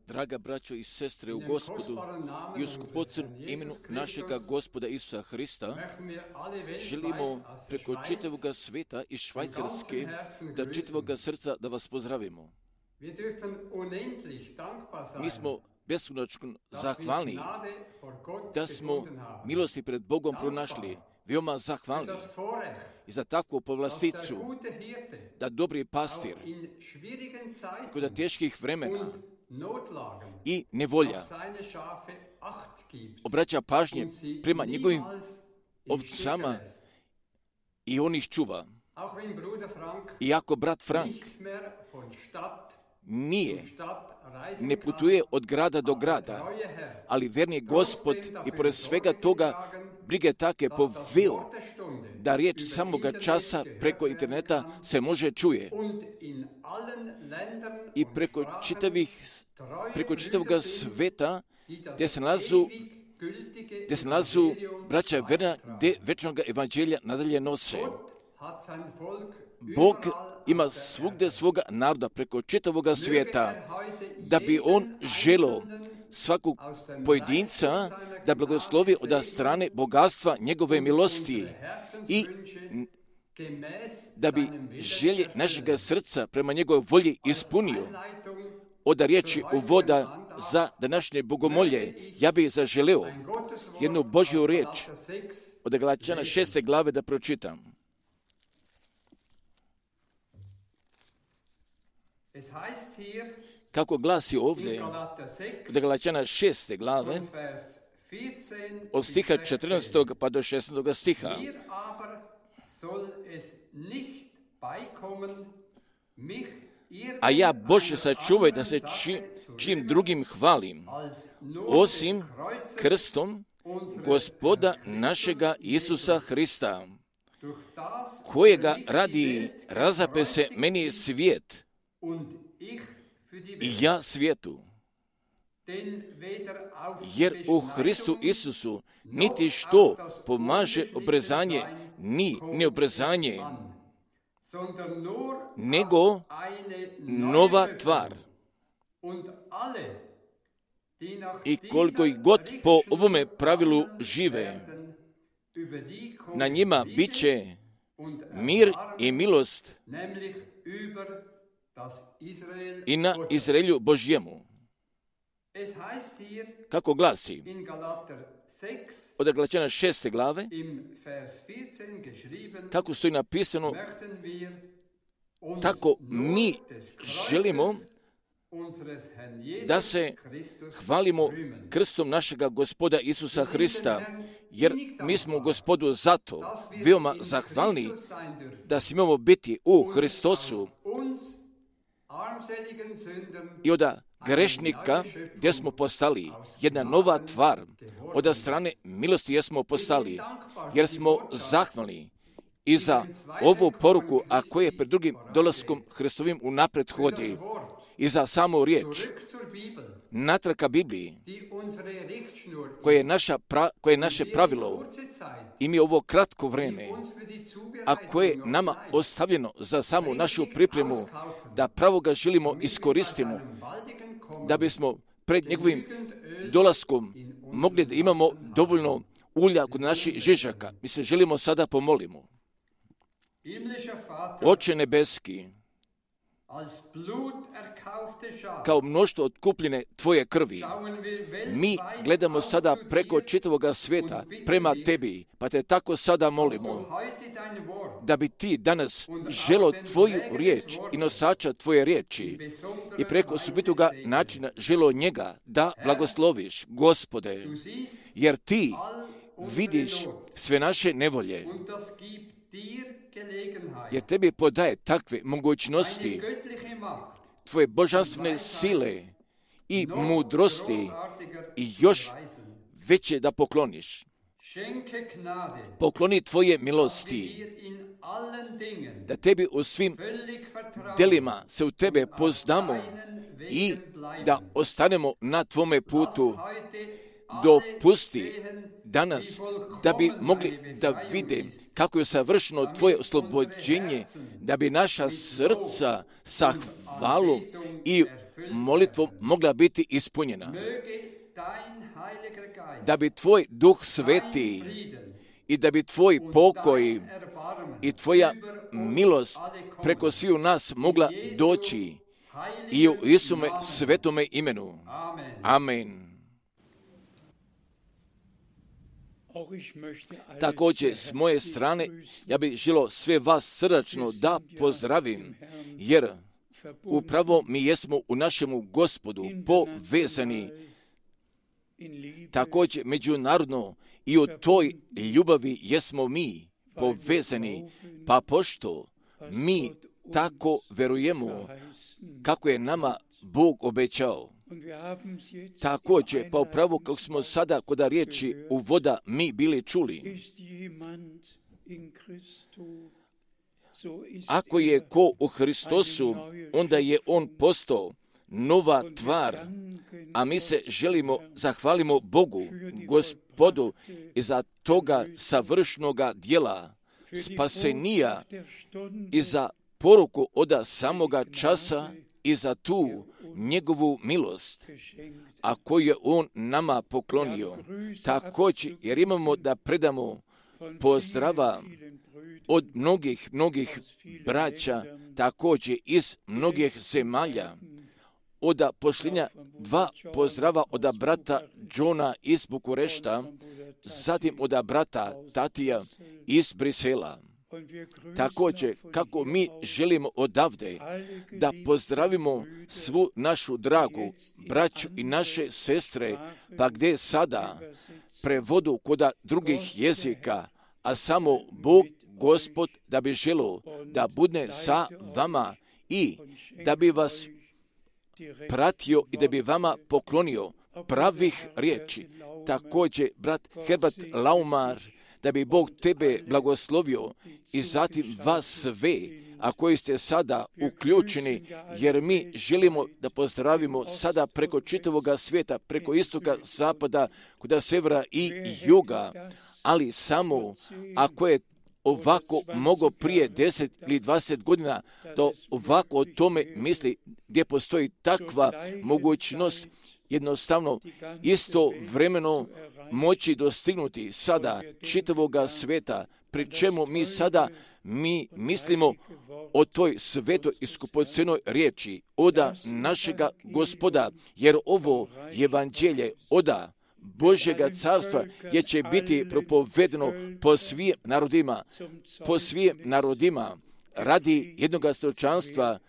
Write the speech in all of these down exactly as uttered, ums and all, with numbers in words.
Draga braćo i sestre u Gospodu i u skupocem imenu našega Gospoda Isusa Hrista, želimo preko čitavoga sveta i Švajcarske da čitavoga srca da vas pozdravimo. Mi smo beskonačno zahvalni da smo milosti pred Bogom pronašli, veoma zahvalni i za takvu povlasticu da dobri pastir kod teških vremena i nevolja obraća pažnje prema njegovim ovcama i on ih čuva. Iako brat Frank nije, ne putuje od grada do grada, ali verni Gospod i pored svega toga brige take poveo da riječ samoga časa preko interneta se može čuje i preko čitavih, preko čitavoga sveta gdje se nalazu, gdje se nalazu braća verna, gdje večnog evanđelja nadalje nose. Bog ima svugdje svoga naroda preko čitavoga svijeta, da bi on želio svakog pojedinca da blagoslovi od strane bogatstva njegove milosti i da bi želje našega srca prema njegovoj volji ispunio. Od riječi uvoda za današnje bogomolje, ja bih zaželeo jednu Božju riječ od Galačana šeste glave da pročitam. Kako glasi ovdje od Galačana šeste glave od stiha četrnaestog pa do šesnaestog stiha. A ja, Bože, sačuvaj da se či, čim drugim hvalim, osim krstom Gospoda našega Isusa Hrista, kojega radi razape se meni svijet i ja svijetu. jer u Hristu Isusu niti što pomaže obrezanje, ni neobrezanje, nego nova tvar. I koliko ih god po ovome pravilu žive, na njima bit će mir i milost i na Izraelju Božjemu. Kako glasi od Galačana šeste glave, kako stoji napisano, tako mi želimo da se hvalimo krstom našega Gospoda Isusa Hrista, jer mi smo Gospodu zato veoma zahvalni da smijemo biti u Hristosu i od grešnika gdje smo postali jedna nova tvar, od strane milosti jesmo postali, jer smo zahvalni i za ovu poruku, a koje je pred drugim dolaskom Hristovim unaprijed hodi, i za samu riječ, natrag ka Bibliji, koje je, naša pra, koje je naše pravilo, i mi ovo kratko vreme, a koje je nama ostavljeno za samu našu pripremu, da pravo ga želimo iskoristimo, da bismo pred njegovim dolaskom mogli da imamo dovoljno ulja kod naših žižaka. Mi se želimo sada pomolimo. Oče nebeski, kao mnoštvo otkupljene tvoje krvi, mi gledamo sada preko čitavoga svijeta prema tebi, pa te tako sada molimo da bi ti danas želo tvoju riječ i nosača tvoje riječi i preko osobitoga načina želo njega da blagosloviš, Gospode, jer ti vidiš sve naše nevolje, jer tebi podaje takve mogućnosti, tvoje božanstvene sile i mudrosti i još veće da pokloniš. Pokloni tvoje milosti, da tebi u svim delima se u tebe poznamo i da ostanemo na tvome putu. Dopusti danas da bi mogli da vide kako je savršeno tvoje oslobođenje, da bi naša srca sa hvalom i molitvom mogla biti ispunjena. Da bi tvoj duh sveti i da bi tvoj pokoj i tvoja milost preko sviju nas mogla doći i u Isume svetome imenu. Amen. Također, s moje strane, ja bih želio sve vas srdačno da pozdravim, jer upravo mi jesmo u našemu Gospodu povezani, također međunarodno i u toj ljubavi jesmo mi povezani, pa pošto mi tako verujemo kako je nama Bog obećao. Također, pa upravo kako smo sada kod riječi uvoda mi bili čuli, ako je ko u Hristosu, onda je on postao nova tvar, a mi se želimo, zahvalimo Bogu, Gospodu, i za toga savršnoga dijela, spasenija, i za poruku od samoga časa, i za tu njegovu milost, a koju je on nama poklonio. Također, jer imamo da predamo pozdrava od mnogih, mnogih braća, također iz mnogih zemalja. Od pošljenja dva pozdrava od brata Johna iz Bukurešta, zatim od brata Tatija iz Brisela. Također, kako mi želimo odavde da pozdravimo svu našu dragu braću i naše sestre, pa gdje sada prevodu kod drugih jezika, a samo Bog, Gospod, da bi želio da bude sa vama i da bi vas pratio i da bi vama poklonio pravih riječi. Također, brat Herbert Laumar, da bi Bog tebe blagoslovio i zatim vas sve, a koji ste sada uključeni, jer mi želimo da pozdravimo sada preko čitavog svijeta, preko istoka, zapada, kuda severa i juga, ali samo ako je ovako mogo prije deset ili dvadeset godina da ovako o tome misli, gdje postoji takva mogućnost jednostavno isto vremeno moći dostignuti sada čitavoga sveta, pri čemu mi sada mi mislimo o toj svetoj i skupocenoj riječi oda našega Gospoda, jer ovo evanđelje oda Božjega carstva je će biti propovedeno po svim narodima, po svim narodima radi jednog svjedočanstva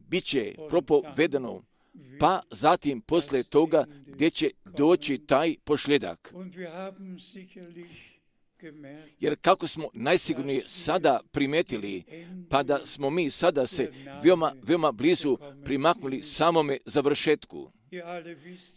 bit će propovedeno, pa zatim posle toga gdje će doći taj pošljedak. Jer kako smo najsigurnije sada primetili, pa da smo mi sada se veoma, veoma blizu primaknuli samome završetku.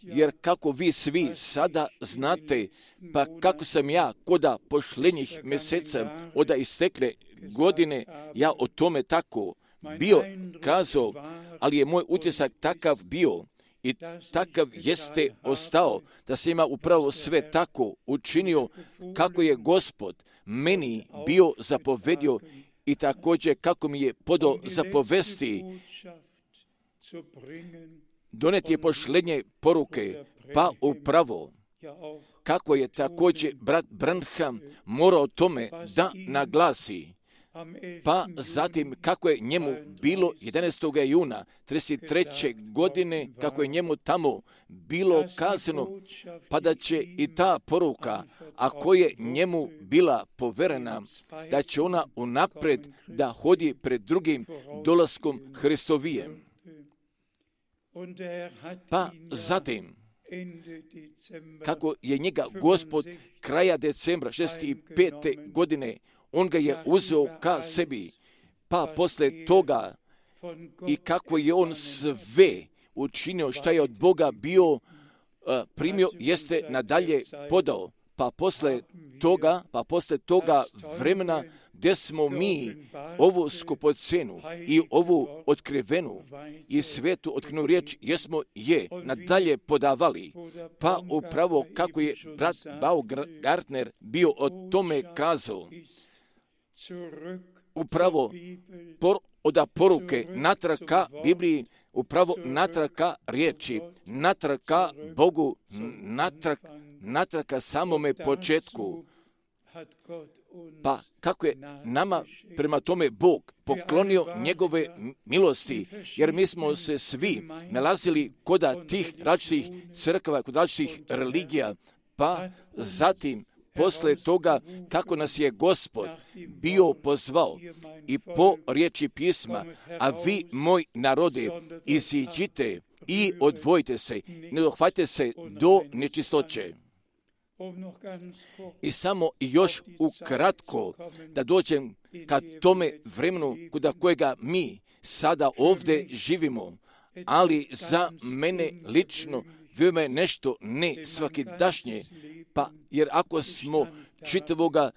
Jer kako vi svi sada znate, pa kako sam ja koda pošlenjih mjeseca oda istekle godine, ja o tome tako bio kazao, ali je moj utisak takav bio i takav jeste ostao, da se ima upravo sve tako učinio kako je Gospod meni bio zapovedio i također kako mi je podao zapovesti doneti je pošlednje poruke, pa upravo kako je također brat Branham morao tome da naglasi, pa zatim kako je njemu bilo jedanaestog juna trideset treće godine, kako je njemu tamo bilo kazano, pa da će i ta poruka, ako je njemu bila poverena, da će ona unapred da hodi pred drugim dolaskom Hristovijem. Pa zatim, kako je njega Gospod kraja decembra šezdeset pete godine, on ga je uzeo ka sebi, pa posle toga i kako je on sve učinio šta je od Boga bio uh, primio, jeste nadalje podao. Pa posle toga, pa posle toga vremena gdje smo mi ovu skupocenu i ovu otkrivenu i svetu otkrivenu riječ jesmo je nadalje podavali. Pa upravo kako je brat Baumgartner bio o tome kazao, upravo por, oda poruke natrag ka Bibliji, upravo natrag ka riječi, natrag ka Bogu, natrag, natrag ka samome početku. Pa kako je nama prema tome Bog poklonio njegove milosti, jer mi smo se svi nalazili kod tih različitih crkava, kod različitih religija, pa zatim posle toga kako nas je Gospod bio pozvao i po riječi pisma, a vi, moj narode, iziđite i odvojite se, ne dohvatite se do nečistoće. I samo još ukratko da dođem ka tome vremenu kuda kojega mi sada ovdje živimo, ali za mene lično veoma je nešto ne svakidašnje, pa jer ako smo čitavoga,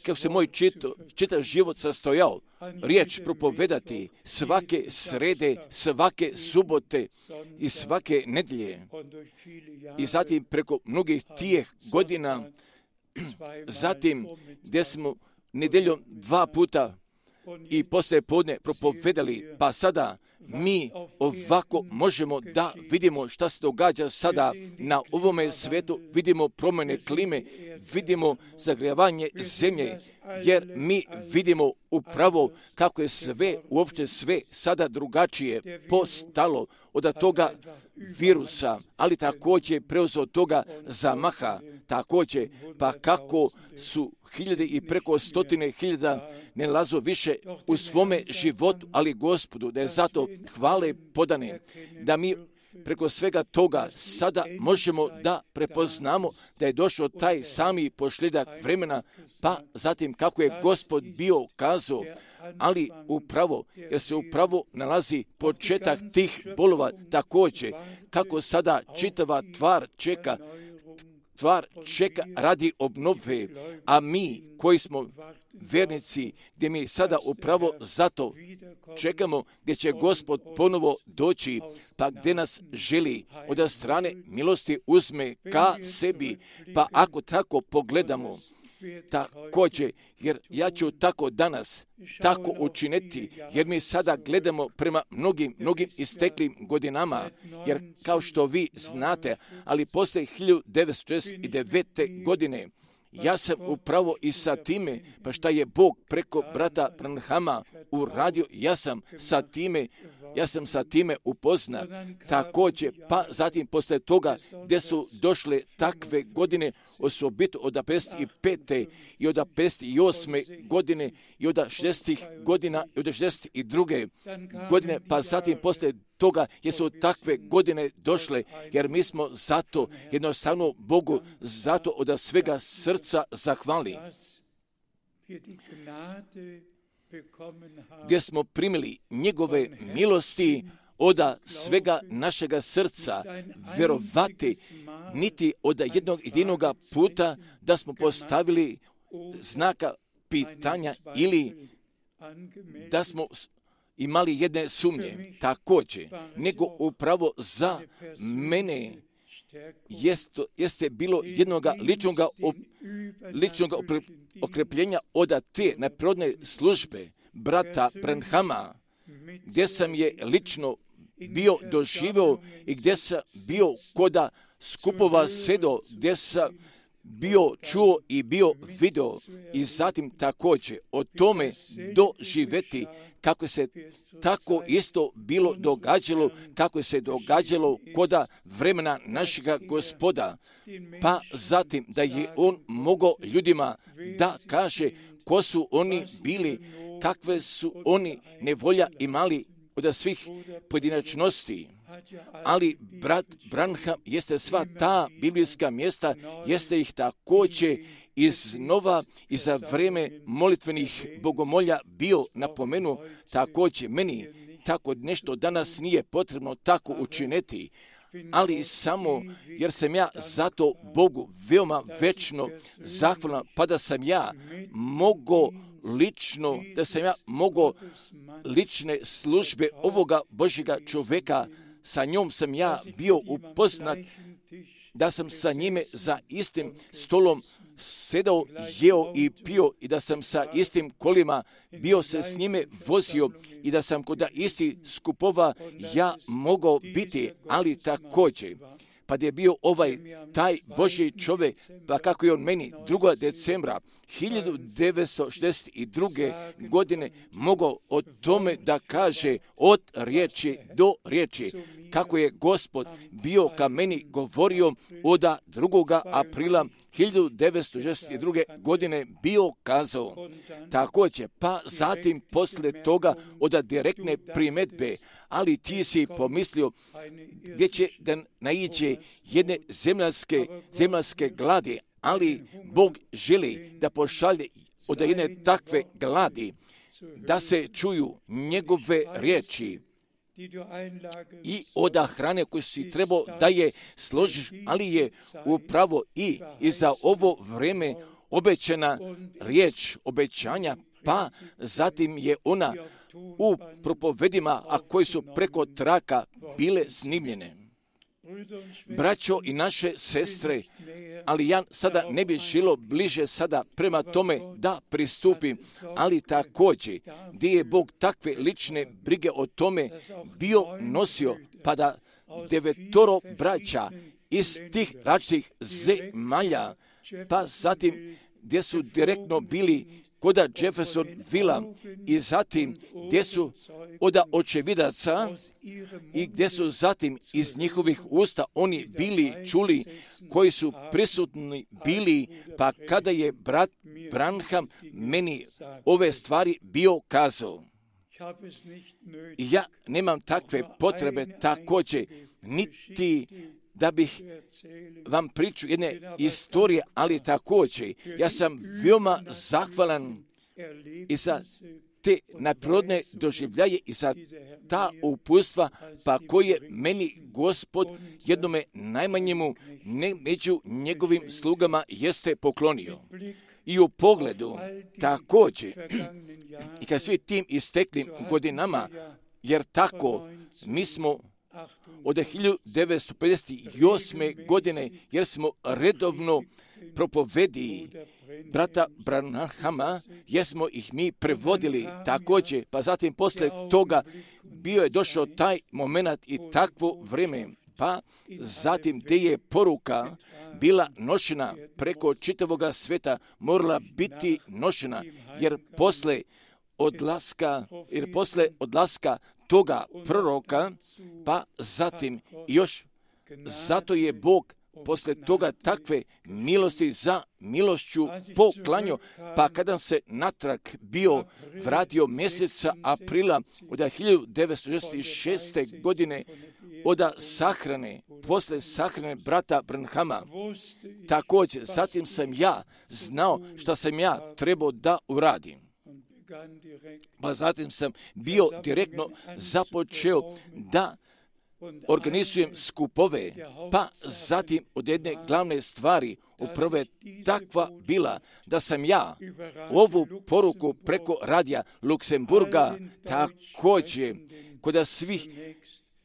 kako se moj čito, čitav život sastojao, riječ propovedati svake srede, svake subote i svake nedjelje. I zatim preko mnogih tijeh godina, zatim gdje smo nedjeljom dva puta i poslije podne propovedali, pa sada mi ovako možemo da vidimo šta se događa sada na ovome svijetu, vidimo promjene klime, vidimo zagrijavanje zemlje, jer mi vidimo upravo kako je sve, uopšte sve sada drugačije postalo od toga virusa, ali također preuzeo toga zamaha, također, pa kako su hiljade i preko stotine hiljada ne nalazu više u svome životu, ali Gospodu, da je zato hvale podane, da mi preko svega toga sada možemo da prepoznamo da je došao taj sami pošljedak vremena, pa zatim kako je Gospod bio kazao, ali upravo, jer se upravo nalazi početak tih bolova također, kako sada čitava tvar čeka stvar čeka radi obnove, a mi koji smo vernici, gdje mi sada upravo zato čekamo gdje će Gospod ponovo doći, pa gdje nas želi od strane milosti uzme ka sebi, pa ako tako pogledamo, također, jer ja ću tako danas tako učiniti, jer mi sada gledamo prema mnogim, mnogim isteklim godinama, jer kao što vi znate, ali poslije hiljadu devetsto šezdeset devete. godine, ja sam upravo i sa time, pa šta je Bog preko brata Branhama uradio, ja sam sa time, ja sam sa time upoznat. Također, pa zatim posle toga, gdje su došle takve godine, osobito od pedeset pete i od pedeset osme. godine i od šezdesetih godina i od šezdeset druge. godine, pa zatim posle toga jesu takve godine došle, jer mi smo zato jednostavno Bogu zato od svega srca zahvali, gdje smo primili njegove milosti od svega našega srca, vjerovati niti od jednog jedinoga puta da smo postavili znaka pitanja ili da smo imali jedne sumnje, također, nego upravo za mene jest, jeste bilo jednoga ličnoga, op, ličnoga okrepljenja od te neprirodne službe brata Branhama, gdje sam je lično bio doživio i gdje sam bio koda skupova sedo, gdje sam bio čuo i bio video i zatim također o tome doživeti kako se tako isto bilo događalo, kako se događalo koda vremena našega Gospoda, pa zatim da je on mogao ljudima da kaže ko su oni bili, kakve su oni nevolja imali od svih pojedinačnosti. Ali brat Branham jeste sva ta biblijska mjesta, jeste ih također iznova i za vrijeme molitvenih bogomolja bio napomenu, također meni tako nešto danas nije potrebno tako učiniti, ali samo jer sam ja zato Bogu veoma večno zahvalan, pa da sam ja mogao lično, da sam ja mogao lične službe ovoga Božjega čovjeka, sa njom sam ja bio upoznat, da sam sa njime za istim stolom sedao, jeo i pio i da sam sa istim kolima bio se s njime vozio i da sam kod isti skupova ja mogao biti, ali također, pa da je bio ovaj taj Božji čovjek, pa kako je on meni drugog decembra hiljadu devetsto šezdeset druge. godine mogao o tome da kaže od riječi do riječi, kako je Gospod bio ka meni govorio od drugog aprila hiljadu devetsto šezdeset druge. godine bio kazao. Također, pa zatim posle toga od direktne primedbe, ali ti si pomislio gdje će da naiđe jedne zemljanske, zemljanske gladi, ali Bog želi da pošalje od jedne takve gladi, da se čuju njegove riječi i od hrane koju si trebao da je složiš, ali je upravo i, i za ovo vrijeme obećana riječ obećanja, pa zatim je ona u propovedima, a koji su preko traka bile snimljene. Braćo i naše sestre, ali ja sada ne bih želio bliže sada prema tome da pristupim, ali također gdje je Bog takve lične brige o tome bio nosio, pa da devetoro braća iz tih različitih zemalja, pa zatim gdje su direktno bili koda Jeffersonvilla i zatim gdje su od očevidaca i gdje su zatim iz njihovih usta oni bili čuli koji su prisutni bili, pa kada je brat Branham meni ove stvari bio kazao. Ja nemam takve potrebe također, niti da bih vam priču jedne istorije, ali također ja sam veoma zahvalan i za te neprirodne doživljaje i za ta uputstva, pa koje meni Gospod jednome najmanjemu ne među njegovim slugama jeste poklonio. I u pogledu također i kad svi tim isteklim godinama, jer tako mi smo od hiljadu devetsto pedeset osme. godine, jer smo redovno propovedi brata Branhama, jer smo ih mi prevodili također, pa zatim posle toga bio je došao taj moment i takvo vrijeme, pa zatim gdje je poruka bila nošena preko čitavoga sveta, morala biti nošena, jer posle odlaska, jer posle odlaska toga proroka, pa zatim još, zato je Bog posle toga takve milosti za milošću poklanjao, pa kada se natrag bio vratio mjeseca aprila od hiljadu devetsto šezdeset šeste. godine od sahrane, posle sahrane brata Branhama, također, zatim sam ja znao šta sam ja trebao da uradim. Pa zatim sam bio direktno započeo da organizujem skupove, pa zatim od jedne glavne stvari upravo je takva bila da sam ja ovu poruku preko radija Luksemburga također kod svih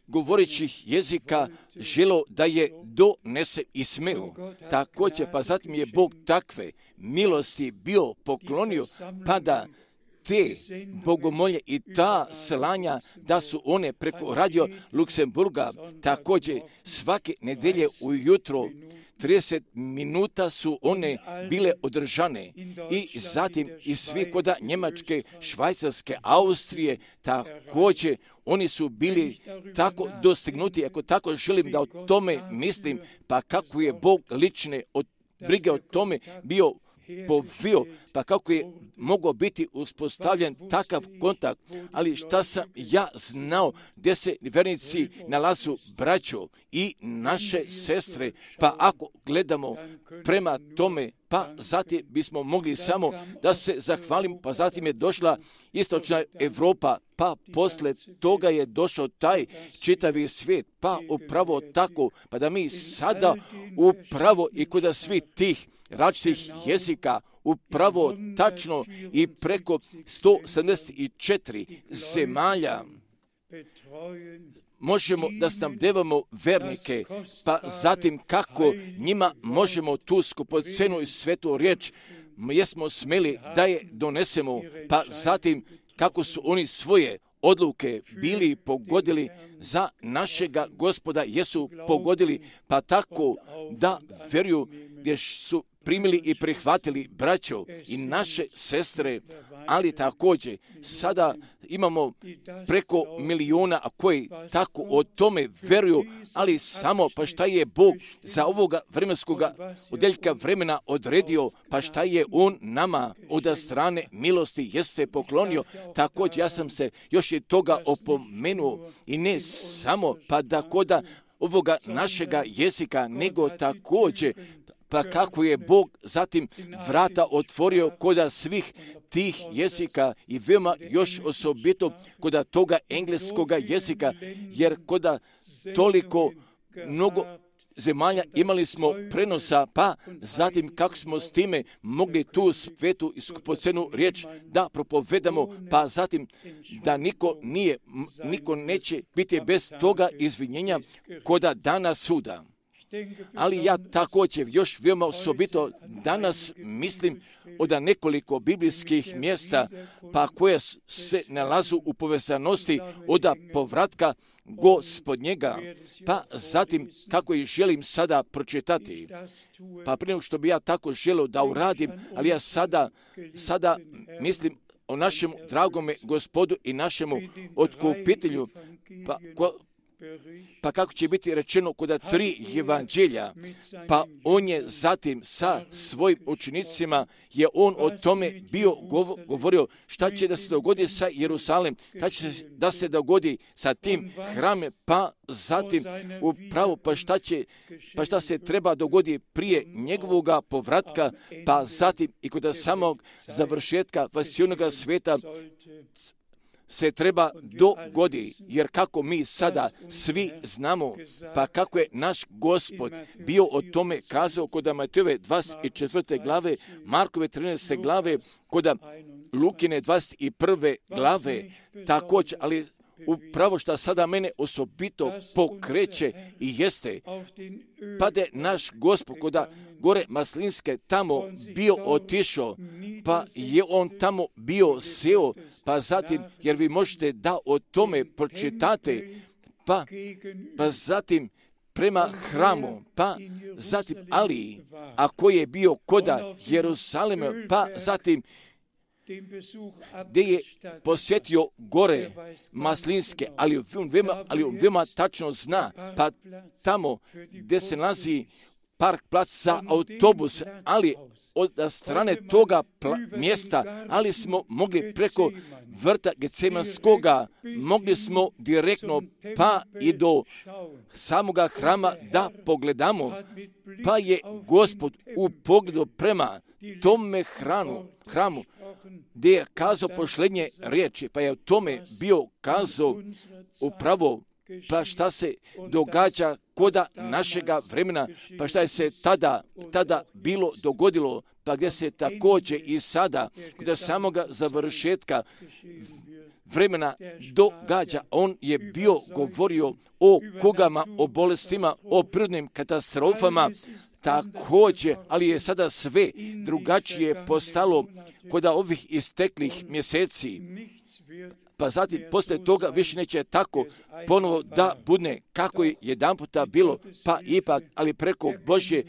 govorećih jezika želo da je donese i smeo. Također, pa zatim je Bog takve milosti bio poklonio, pa da te bogomolje i ta slanja, da su one preko radio Luksemburga također svake nedelje ujutro trideset minuta su one bile održane i zatim i svi koda Njemačke, Švajcarske, Austrije također oni su bili tako dostignuti. Ako tako želim da o tome mislim, pa kako je Bog lične od brige o tome bio povio, pa kako je mogao biti uspostavljen takav kontakt, ali šta sam ja znao gdje se vernici nalazu braćo i naše sestre, pa ako gledamo prema tome, pa zatim bismo mogli samo da se zahvalimo, pa zatim je došla istočna Evropa, pa posle toga je došao taj čitavi svijet, pa upravo tako, pa da mi sada upravo i kod svih tih različitih jezika, upravo tačno i preko sto sedamdeset četiri zemalja možemo da snabdevamo vernike, pa zatim kako njima možemo tu skupocenu i svetu riječ jesmo smeli da je donesemo, pa zatim kako su oni svoje odluke bili pogodili za našega Gospoda, jesu pogodili, pa tako da veruju gdje su primili i prihvatili braćo i naše sestre, ali također sada imamo preko miliona koji tako o tome veruju, ali samo pa šta je Bog za ovoga vremenskog odeljka vremena odredio, pa šta je On nama od strane milosti jeste poklonio. Također ja sam se još i toga opomenuo i ne samo pa da koda ovoga našega jezika, nego također pa kako je Bog zatim vrata otvorio koda svih tih jezika i veoma još osobito koda toga engleskoga jezika, jer koda toliko mnogo zemalja imali smo prenosa, pa zatim kako smo s time mogli tu svetu i skupocenu riječ da propovedamo, pa zatim da niko nije, niko neće biti bez toga izvinjenja koda dana suda. Ali ja također još veoma osobito danas mislim od nekoliko biblijskih mjesta, pa koje se nalazu u povezanosti od povratka Gospodnjega, pa zatim kako ih želim sada pročitati. Pa prije nego što bi ja tako želio da uradim, ali ja sada, sada mislim o našemu dragome Gospodu i našemu otkupitelju, pa ko, Pa kako će biti rečeno kod tri evanđelja, pa on je zatim sa svojim učenicima, je on o tome bio govorio šta će da se dogodi sa Jerusalem, šta će da se dogodi sa tim hramom, pa zatim upravo pa šta će, pa šta se treba dogodi prije njegovoga povratka, pa zatim i kod samog završetka vasijonoga sveta se treba dogodi, jer kako mi sada svi znamo, pa kako je naš Gospod bio o tome kazao kod Matejove dvadeset četvrte glave, Markove trinaeste glave, kod Lukine dvadeset prve glave, također, ali upravo što sada mene osobito pokreće i jeste, pa da je naš Gospod kod gore Maslinske tamo bio otišao, pa je on tamo bio seo, pa zatim, jer vi možete da o tome pročitate, pa, pa zatim prema hramu, pa zatim Ali, a koji je bio koda Jeruzalema, pa zatim gdje je posjetio gore Maslinske, ali on veoma, ali on veoma tačno zna, pa tamo gdje se nalazi park plac za autobus, ali od strane toga pla- mjesta, ali smo mogli preko vrta Getsemanskoga, mogli smo direktno pa i do samoga hrama da pogledamo, pa je Gospod u pogledu prema tome hranu, hramu, gdje je kazao posljednje riječi, pa je o tome bio kazao upravo, pa šta se događa koda našega vremena, pa šta je se tada, tada bilo dogodilo, pa gdje se također i sada, kod samoga završetka vremena događa. On je bio govorio o kugama, o bolestima, o prirodnim katastrofama, također, ali je sada sve drugačije postalo kod ovih isteklih mjeseci. Pa zatim, poslije toga više neće tako ponovo da bude kako je jedan puta bilo, pa ipak, ali preko Božje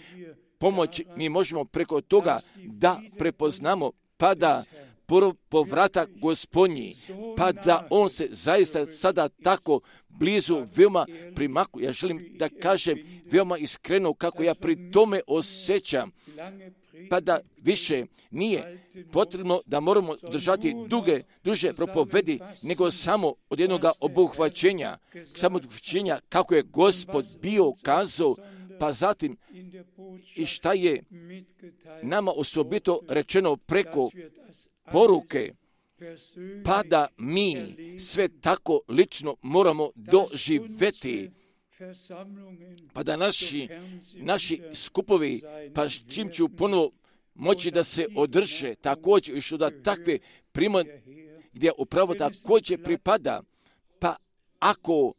pomoći mi možemo preko toga da prepoznamo, pa da povratak Gospodnji, pa da on se zaista sada tako blizu veoma primakuje. Ja želim da kažem veoma iskreno kako ja pri tome osjećam, pa da više nije potrebno da moramo držati duge, duže propovedi, nego samo od jednog obuhvaćenja, samo obuhvaćenja kako je Gospod bio kazao, pa zatim i šta je nama osobito rečeno preko poruke, pa da mi sve tako lično moramo doživjeti, pa da naši, naši skupovi, pa s čim ću ponovo moći da se održe, također i što da takve prima, gdje upravo također pripada, pa ako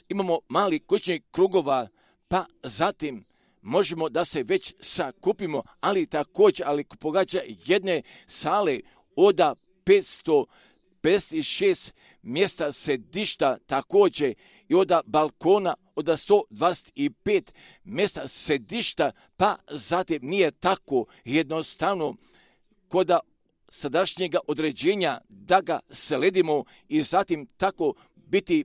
imamo mali kućnih krugova, pa zatim možemo da se već sakupimo, ali također, ali pogađa jedne sale od petsto pedeset šest mjesta sedišta također i od balkona od sto dvadeset pet mjesta sedišta, pa zatim nije tako jednostavno kod sadašnjega određenja da ga sledimo i zatim tako biti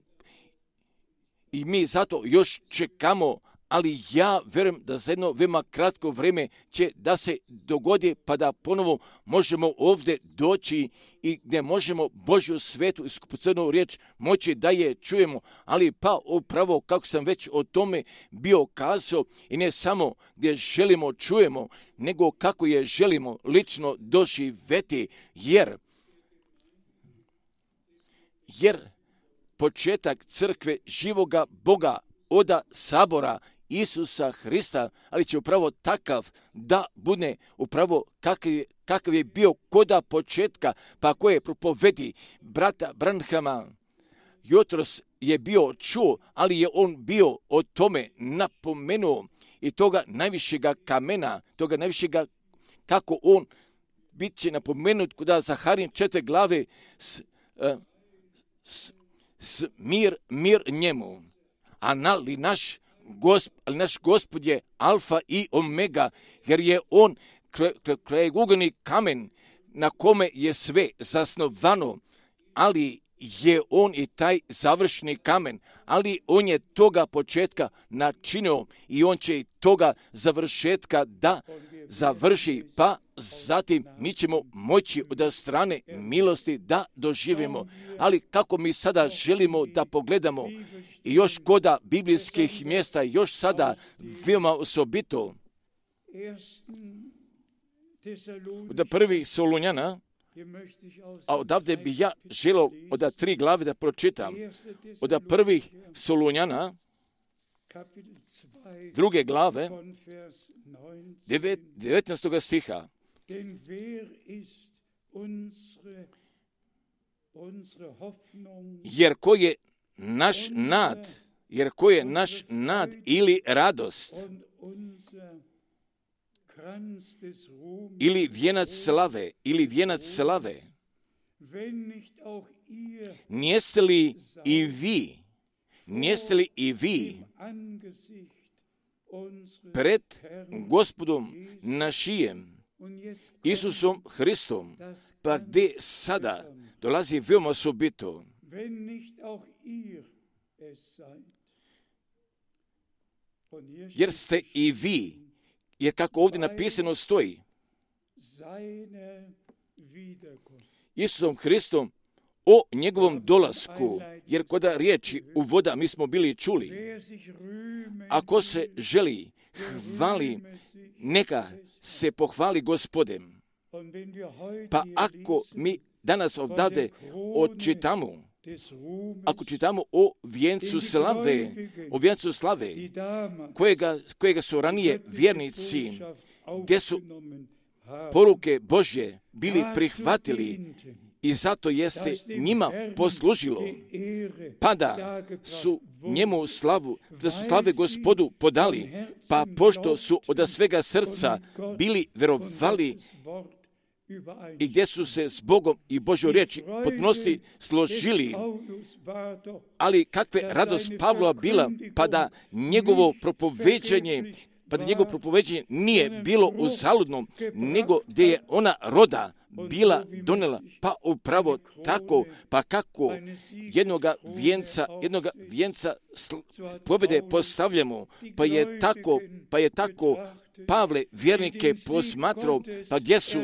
i mi zato još čekamo, ali ja vjerujem da za jedno veoma kratko vrijeme će da se dogodi, pa da ponovo možemo ovdje doći i gdje možemo Božju svetu i skupocenu riječ moći da je čujemo, ali pa upravo kako sam već o tome bio kazao i ne samo gdje želimo čujemo, nego kako je želimo lično doživjeti, jer jer početak crkve živoga Boga oda sabora Isusa Hrista, ali će upravo takav da bude upravo kakav je, kakav je bio koda početka, pa koje propovedi brata Branhama. Jutros je bio čuo, ali je on bio o tome napomenuo i toga najvišega kamena, toga najvišega kako on bit će napomenut kod Zaharin četiri glave s, s, s mir, mir njemu. Ali naš, gosp, ali naš Gospod je alfa i omega, jer je on krajegugovni kamen na kome je sve zasnovano, ali je on i taj završni kamen, ali on je toga početka načinio i on će i toga završetka da završi, pa zatim mi ćemo moći od strane milosti da doživimo. Ali kako mi sada želimo da pogledamo i još koda biblijskih mjesta, još sada veoma osobito od prvih Solunjana, a odavde bi ja želio od tri glave da pročitam. Od prvih Solunjana, druge glave, devetnaestog stiha. Jer ko je naš nad, jer ko je naš nad ili radost, ili vijenac slave, ili vijenac slave, nijeste li i vi, nijeste li i vi pred Gospodom našijem, Isusom Hristom, pa gdje sada dolazi veoma osobito, jer ste i vi, jer kako ovdje napisano stoji, Isusom Hristom o njegovom dolasku, jer koda riječi u voda mi smo bili čuli, ako se želi hvali, neka se pohvali Gospodem. Pa ako mi danas ovdje odčitamo, ako čitamo o vijencu slave, o vijencu slave, kojega, kojega su ranije vjernici, gdje su poruke Božje bili prihvatili i zato jeste njima poslužilo, pa da su njemu slavu, da su slave Gospodu podali, pa pošto su od svega srca bili verovali i gdje su se s Bogom i Božjoj riječi potpunosti složili. Ali kakve radost Pavla bila, pa da njegovo propoveđanje, pa da njegovo propoveđanje nije bilo uzaludno, nego gdje je ona roda bila donela, pa upravo tako, pa kako jednoga vijenca, jednoga vijenca pobjede postavljamo, pa je tako, pa je tako Pavle vjernike posmatrao, pa gdje su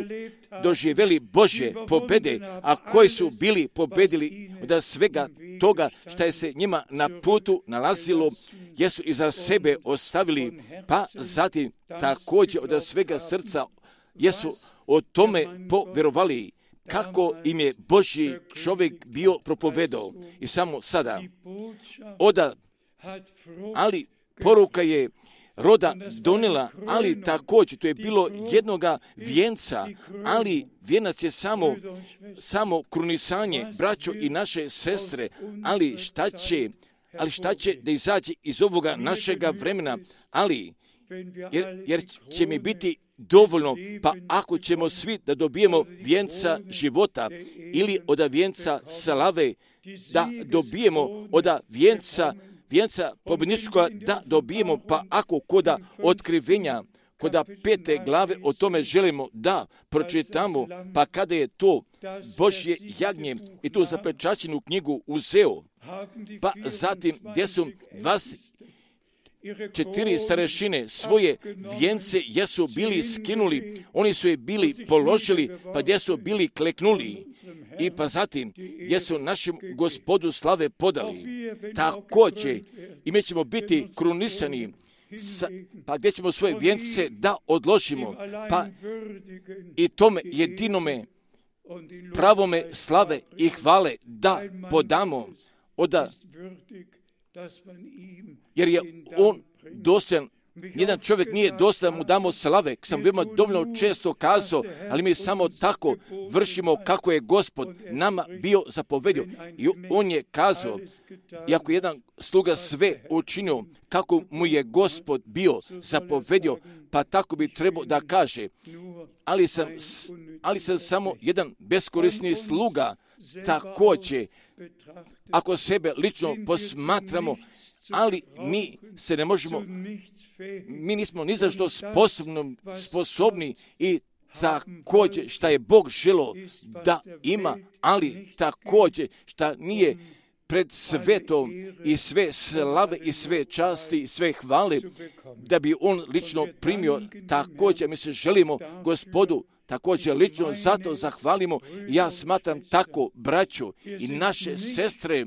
doživjeli Božje pobjede, a koji su bili pobjedili od svega toga što je se njima na putu nalazilo, jesu iza sebe ostavili, pa zatim također od svega srca jesu o tome povjerovali, kako im je Božji čovjek bio propovedao. I samo sada, oda, ali poruka je roda donela, ali također to je bilo jednoga vijenca, ali vijenac je samo, samo krunisanje, braćo i naše sestre, ali šta će, ali šta će da izađe iz ovoga našega vremena, ali jer, jer će mi biti dovoljno, pa ako ćemo svi da dobijemo vijenca života ili od vijenca slave, da dobijemo od vijenca vijenca pobjedničkoga da dobijemo, pa ako koda otkrivenja, koda pete glave o tome želimo da pročitamo, pa kada je to Božje jagnje i tu zapečaćenu knjigu uzeo, pa zatim gdje su dvadeset četiri starešine svoje vijence jesu bili skinuli, oni su je bili položili, pa gdje su bili kleknuli i pa zatim gdje su našem Gospodu slave podali. Također i mi ćemo biti krunisani, sa, pa gdje ćemo svoje vijence da odložimo, pa i tome jedinome pravome slave i hvale da podamo, oda, jer je on dostojan. Jedan čovjek nije dostojan mu damo slave, sam veoma dovoljno često kazao, ali mi samo tako vršimo kako je Gospod nama bio zapovedio. I on je kazao, iako jedan sluga sve učinio kako mu je Gospod bio zapovedio, pa tako bi trebao da kaže, ali sam, ali sam samo jedan beskorisni sluga. Također, ako sebe lično posmatramo, ali mi se ne možemo, mi nismo ni za što sposobni, sposobni i također šta je Bog želo da ima, ali također šta nije pred svetom i sve slave i sve časti i sve hvale, da bi on lično primio. Također mi se želimo Gospodu također lično zato zahvalimo. Ja smatram tako, braću i naše sestre,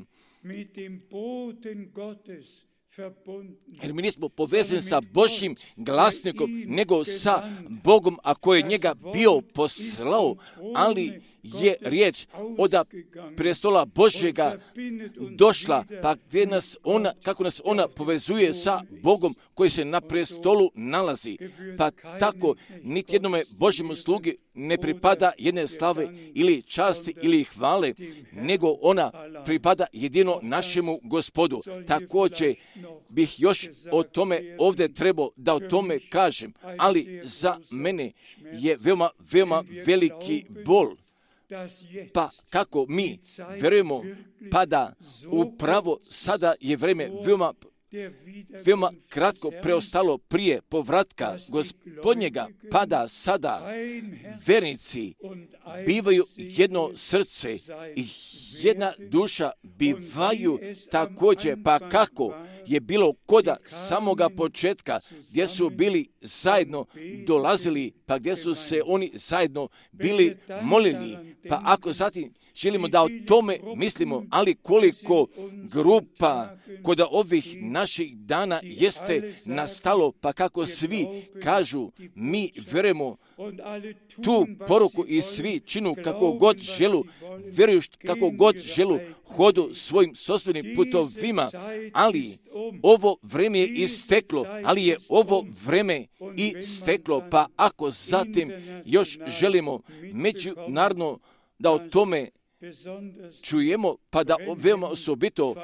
jer mi nismo povezani sa Božjim glasnikom, nego sa Bogom, a koji je njega bio poslao, ali je riječ od prestola Božjega došla, pa gdje nas ona, kako nas ona povezuje sa Bogom koji se na prestolu nalazi. Pa tako, niti jednome Božjemu slugi ne pripada jedne slave ili časti ili hvale, nego ona pripada jedino našemu Gospodu. Također bih još o tome ovdje trebao da o tome kažem, ali za mene je veoma, veoma veliki bol. Pa kako mi vjerujemo, pa da upravo sada je vrijeme veoma, veoma kratko preostalo prije povratka Gospodnjega, pa da sada vernici bivaju jedno srce i jedna duša bivaju također, pa kako je bilo koda samoga početka, gdje su bili zajedno dolazili, pa gdje su se oni zajedno bili molili, pa ako zatim želimo da o tome mislimo, ali koliko grupa kod ovih naših dana jeste nastalo, pa kako svi kažu, mi vjerujemo tu poruku i svi činu kako god želu, vjeruju kako god želu, hodu svojim sopstvenim putovima, ali ovo vreme je isteklo, ali je ovo vreme isteklo, pa ako zatim još želimo međunarodno da o tome čujemo, pa da veoma osobito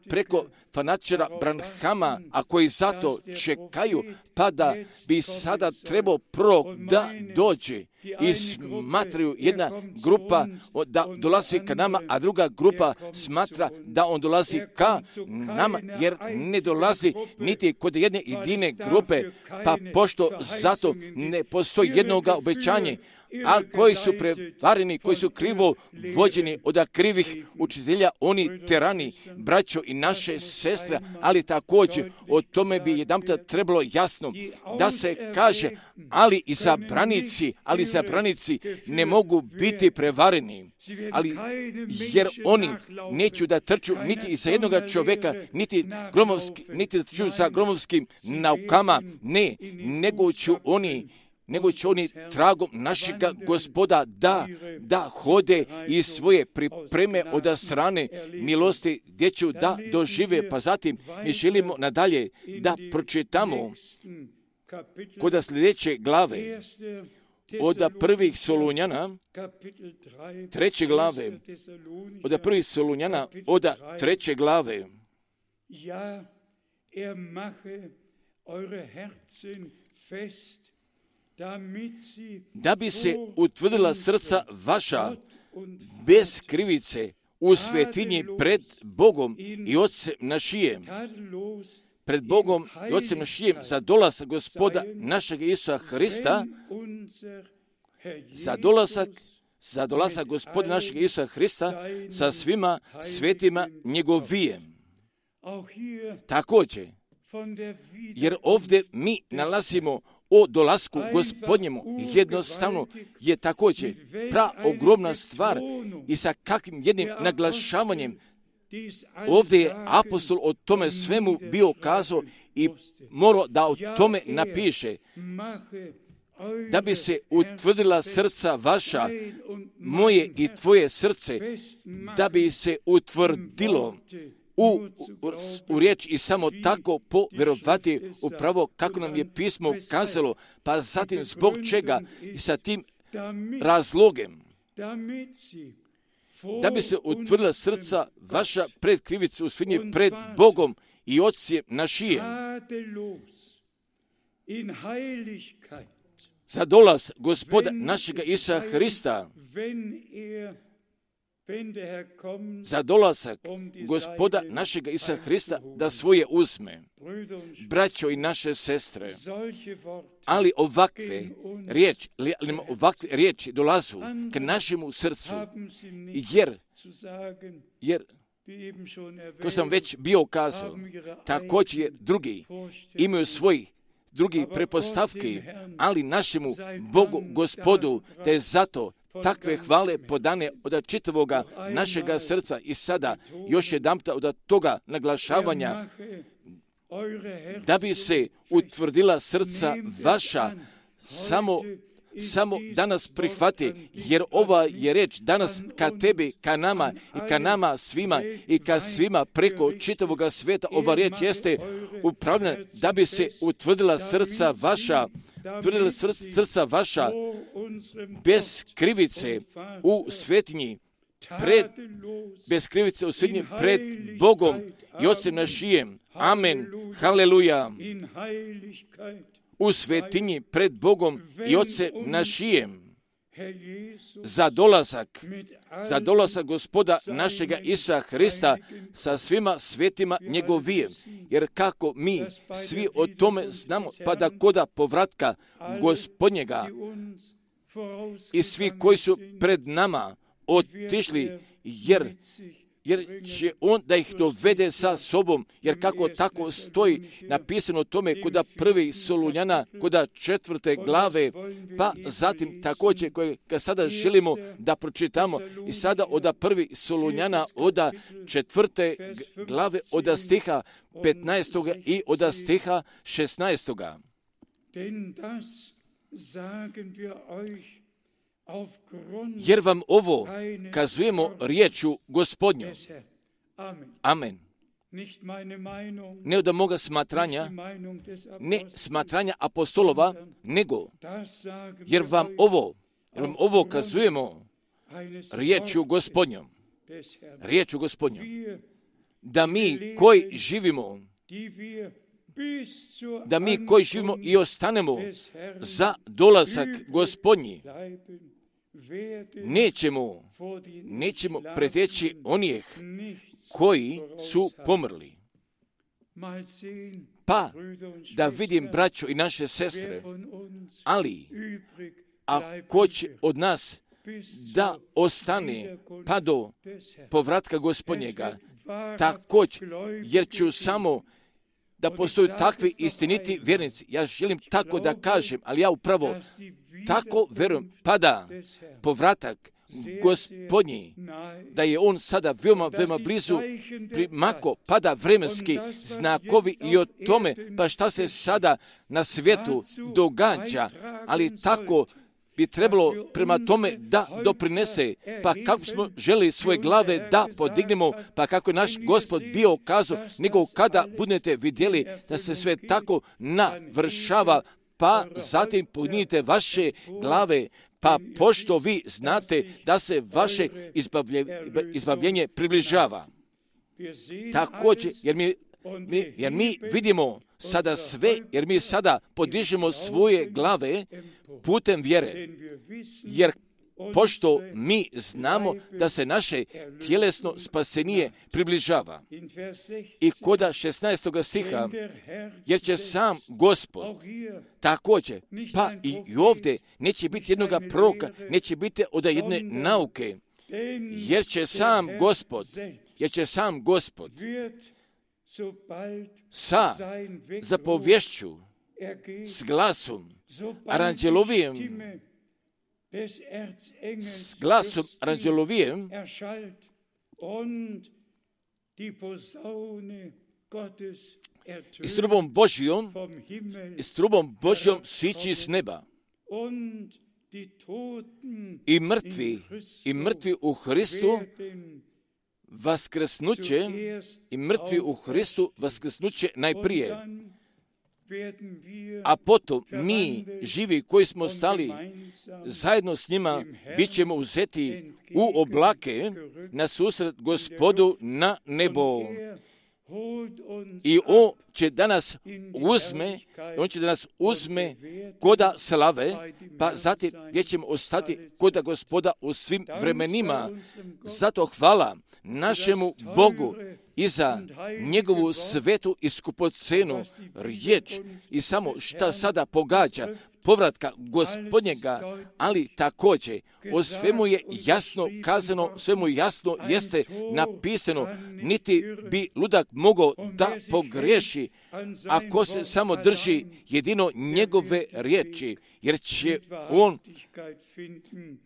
preko fanatičara Branhama, a koji zato čekaju, pa da bi sada trebao prorok da dođe i smatraju jedna grupa da dolazi ka nama, a druga grupa smatra da on dolazi ka nama, jer ne dolazi niti kod jedne jedine grupe, pa pošto zato ne postoji jednoga obećanje, a koji su prevareni, koji su krivo vođeni od krivih učitelja, oni terani, braćo i naše sestre, ali također o tome bi jedanput trebalo jasno da se kaže, ali i zabranici, ali zabranici ne mogu biti prevareni, ali jer oni neću da trču niti iza jednoga čovjeka, niti, gromovski, niti da trču za gromovskim naukama, ne, nego ću oni nego će oni tragom našega Gospoda da, da hode i svoje pripreme od strane milosti gdje ću da dožive. Pa zatim mi želimo nadalje da pročitamo kod sljedeće glave od prvih Solunjana, treće glave, od prvih Solunjana, od treće glave. Ja, er mache eure Herzen fest, da bi se utvrdila srca vaša bez krivice u svetinji pred Bogom i Otcem našijem, pred Bogom i Otcem našijem za dolazak Gospoda našeg Isusa Hrista, za dolazak, za dolazak Gospoda našeg Isusa Hrista sa svima svetima njegovijem. Također, jer ovdje mi nalazimo o dolasku Gospodnjemu, jednostavno je također pra ogromna stvar i sa kakvim jednim naglašavanjem ovdje je apostol o tome svemu bio kazao i morao da o tome napiše, da bi se utvrdila srca vaša, moje i tvoje srce, da bi se utvrdilo U, u, u riječ i samo tako povjerovati upravo kako nam je pismo kazalo, pa zatim zbog čega i sa tim razlogem, da bi se utvrdila srca vaša pred krivicu u svinji pred Bogom i Otcem našijem, za dolaz Gospoda našega Isusa Hrista, za dolazak Gospoda našega Isusa Hrista da svoje uzme. Braćo i naše sestre, ali ovakve riječi, ovakve riječi dolazu k našemu srcu, jer, jer to sam već bio kazao, također je drugi imaju svoji drugi prepostavki, ali našemu Bogu, Gospodu, te zato takve hvale podane od čitavoga našega srca i sada još jedanputa od toga naglašavanja da bi se utvrdila srca vaša, samo samo danas prihvati, jer ova je reč danas ka tebi, ka nama i ka nama svima i ka svima preko čitavoga svijeta. Ova reč jeste upravljena da bi se utvrdila srca vaša, utvrdila srca vaša bez krivice u svetinji, pred, bez krivice u svetinji pred Bogom i Otcem našijem. Amen. Haleluja. U svetinji pred Bogom i Otcem našijem za dolazak, za dolazak Gospoda našega Isusa Hrista sa svima svetima njegovijem. Jer kako mi svi o tome znamo, pa da koda povratka Gospodnjega i svi koji su pred nama otišli, jer jer će on da ih dovede sa sobom, jer kako tako stoji napisano o tome koda prvi Solunjana, koda četvrte glave, pa zatim također koje sada želimo da pročitamo i sada oda prvi Solunjana, oda četvrte glave, oda stiha petnaestoga i oda stiha šesnaestoga. Jer vam ovo kazujemo riječu Gospodnju. Amen. Ne od moga smatranja, ne smatranja apostolova, nego jer vam ovo, jer vam ovo kazujemo riječu Gospodnjom. Riječu Gospodnjom. Da mi koji živimo, da mi koji živimo i ostanemo za dolazak Gospodnji, nećemo, nećemo preteći onih koji su pomrli. Pa da vidim braćo i naše sestre, ali a ko će od nas da ostane pa do povratka Gospodnjega, također, jer ću samo da postoju takvi istiniti vjernici. Ja želim tako da kažem, ali ja upravo tako verujem, pa da povratak Gospodnji, da je on sada veoma, veoma blizu primako, pada vremenski znakovi i o tome, pa šta se sada na svijetu događa, ali tako bi trebalo prema tome da doprinese, pa kako smo želi svoje glave da podignemo, pa kako je naš Gospod bio kazao, nego kada budete vidjeli da se sve tako navršava, pa zatim podignite vaše glave, pa pošto vi znate da se vaše izbavljenje približava. Također, jer mi, mi, jer mi vidimo sada sve, jer mi sada podižemo svoje glave putem vjere, jer pošto mi znamo da se naše tjelesno spasenije približava. I koda šesnaestoga stiha, jer će sam Gospod također, pa i ovdje neće biti jednoga proroka, neće biti od jedne nauke, jer će sam Gospod, jer će sam Gospod sa zapovješću, s glasom, aranđelovijem, s glasom aranđelovijem i s trubom Božjom, i s trubom Božjom sići s neba. I mrtvi, i mrtvi u Hristu vaskrsnuće, i mrtvi u Hristu vaskrsnuće najprije. A potom mi, živi koji smo stali zajedno s njima, bit ćemo uzeti u oblake na susret Gospodu na nebo. I on će danas uzme, on će danas uzme koda slave, pa zatim gdje ćemo ostati koda Gospoda u svim vremenima. Zato hvala našemu Bogu i za njegovu svetu i skupocenu riječ i samo šta sada pogađa povratka Gospodnjega, ali također o svemu je jasno kazano, svemu jasno jeste napisano, niti bi ludak mogao da pogriješi ako se samo drži jedino njegove riječi, jer će on